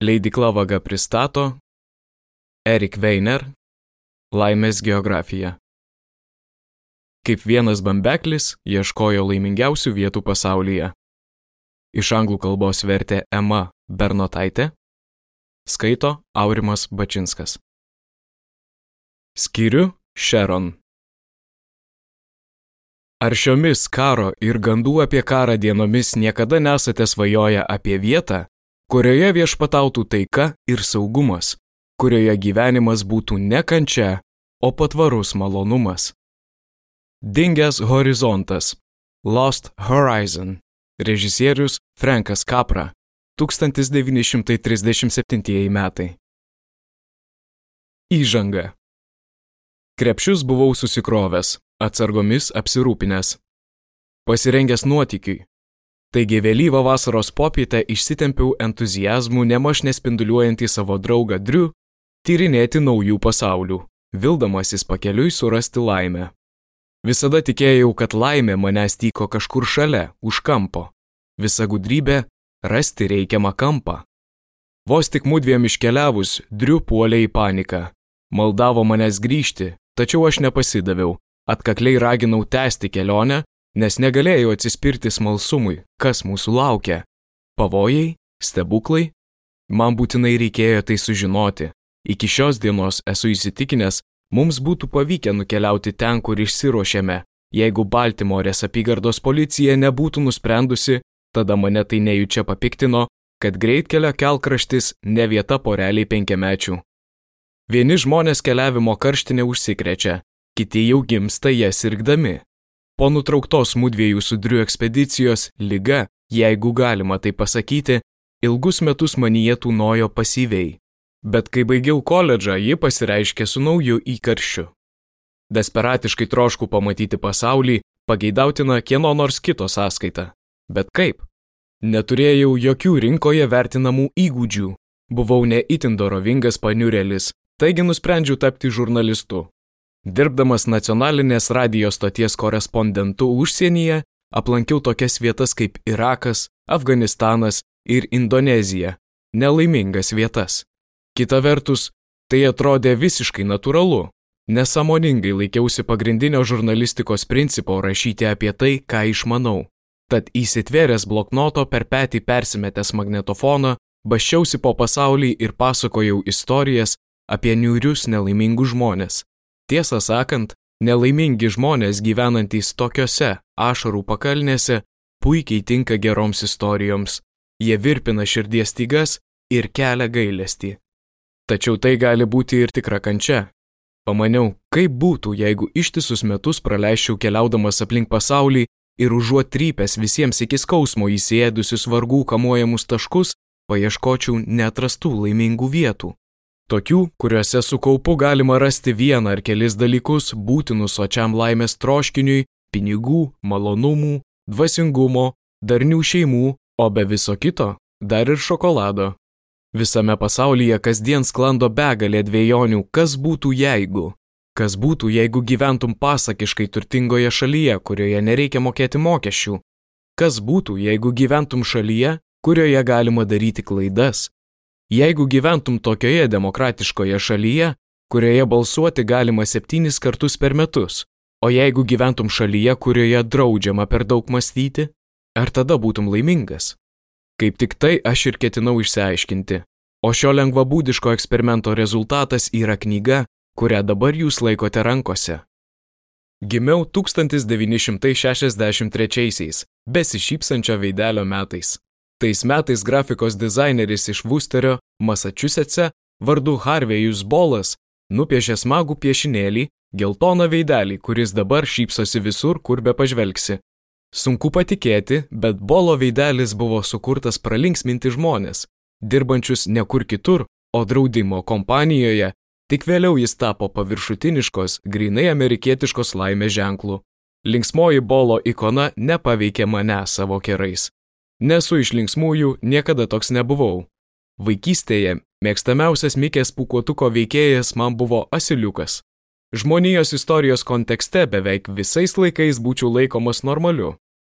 Leidykla Vaga pristato Erik Weiner Laimės geografija. Kaip vienas bambeklis ieškojo laimingiausių vietų pasaulyje. Iš anglų kalbos vertė Ema Bernotaitė, skaito Aurimas Bačinskas. Skyriu Sharon. Ar šiomis karo ir gandų apie karą dienomis niekada nesate svajoję apie vietą, kurioje viešpatautų taika ir saugumas, kurioje gyvenimas būtų ne kančia, o patvarus malonumas? Dingęs horizontas. Lost Horizon. Režisierius Frankas Capra. 1937 metai. Įžanga. Krepšius buvau susikrovęs, atsargomis apsirūpinęs. Pasirengęs nuotykiui. Taigi vėlyvą vasaros popietę išsitempiau entuziazmų nemaž nespinduliuojantį savo draugą Drew tyrinėti naujų pasaulių, vildamasis pakeliui surasti laimę. Visada tikėjau, kad laimė manęs tyko kažkur šalia, už kampo. Visa gudrybė – rasti reikiamą kampą. Vos tik mudviem iškeliavus, Drew puolė į paniką. Maldavo manęs grįžti, tačiau aš nepasidaviau, atkakliai raginau tęsti kelionę, nes negalėjau atsispirti smalsumui, kas mūsų laukia. Pavojai? Stebuklai? Man būtinai reikėjo tai sužinoti. Iki šios dienos esu įsitikinęs, mums būtų pavykę nukeliauti ten, kur išsiruošėme. Jeigu Baltimorės apygardos policija nebūtų nusprendusi, tada mane tai nejučia papiktino, kad greitkelio kelkraštis ne vieta poreliai 5-mečių. Vieni žmonės keliavimo karštinė užsikrečia, kiti jau gimsta ją sirgdami. Po nutrauktos mudviejų su Drew ekspedicijos liga, jeigu galima tai pasakyti, ilgus metus manyje tūnojo pasyviai. Bet kai baigiau koledžą, ji pasireiškė su nauju įkarščiu. Desperatiškai trošku pamatyti pasaulį, pageidautina kieno nors kito sąskaita. Bet kaip? Neturėjau jokių rinkoje vertinamų įgūdžių. Buvau ne itin dorovingas paniurėlis, taigi nusprendžiau tapti žurnalistu. Dirbdamas nacionalinės radijo stoties korespondentu užsienyje, aplankiau tokias vietas kaip Irakas, Afganistanas ir Indonezija. Nelaimingas vietas. Kita vertus, tai atrodė visiškai natūralu. Nesąmoningai laikiausi pagrindinio žurnalistikos principo rašyti apie tai, ką išmanau. Tad įsitvėręs bloknoto per petį persimetęs magnetofoną, basčiausi po pasaulį ir pasakojau istorijas apie niūrius nelaimingus žmonės. Tiesą sakant, nelaimingi žmonės gyvenantys tokiose ašarų pakalnėse puikiai tinka geroms istorijoms. Jie virpina širdies stygas ir kelia gailestį. Tačiau tai gali būti ir tikra kančia. Pamaniau, kaip būtų, jeigu ištisus metus praleisčiau keliaudamas aplink pasaulį ir užuot trypęs visiems iki skausmo įsiėdusius vargų kamuojamus taškus, paieškočiau neatrastų laimingų vietų. Tokių, kuriuose su kaupu galima rasti vieną ar kelis dalykus būtinus sočiam laimės troškiniui, pinigų, malonumų, dvasingumo, darnių šeimų, o be viso kito dar ir šokolado. Visame pasaulyje kasdien sklando begalė dvejonių, kas būtų jeigu. Kas būtų, jeigu gyventum pasakiškai turtingoje šalyje, kurioje nereikia mokėti mokesčių. Kas būtų, jeigu gyventum šalyje, kurioje galima daryti klaidas. Jeigu gyventum tokioje demokratiškoje šalyje, kurioje balsuoti galima 7 kartus per metus, o jeigu gyventum šalyje, kurioje draudžiama per daug mąstyti, ar tada būtum laimingas? Kaip tik tai aš ir ketinau išsiaiškinti, o šio lengvabūdiško eksperimento rezultatas yra knyga, kurią dabar jūs laikote rankose. Gimiau 1963-aisiais, besišypsančio veidelio metais. Tais metais grafikos dizaineris iš Worcesterio, Massachusetts'e, vardu Harvejus Bolas, nupiešė smagų piešinėlį, geltoną veidelį, kuris dabar šypsosi visur, kur be pažvelgsi. Sunku patikėti, bet Bolo veidelis buvo sukurtas pralinksminti žmonės, dirbančius ne kur kitur, o draudimo kompanijoje, tik vėliau jis tapo paviršutiniškos, grynai amerikietiškos laimės ženklų. Linksmoji Bolo ikona nepaveikė mane savo kerais. Nesu iš linksmųjų, niekada toks nebuvau. Vaikystėje mėgstamiausias Mikės pūkuotuko veikėjas man buvo asiliukas. Žmonijos istorijos kontekste beveik visais laikais būčiau laikomas normaliu.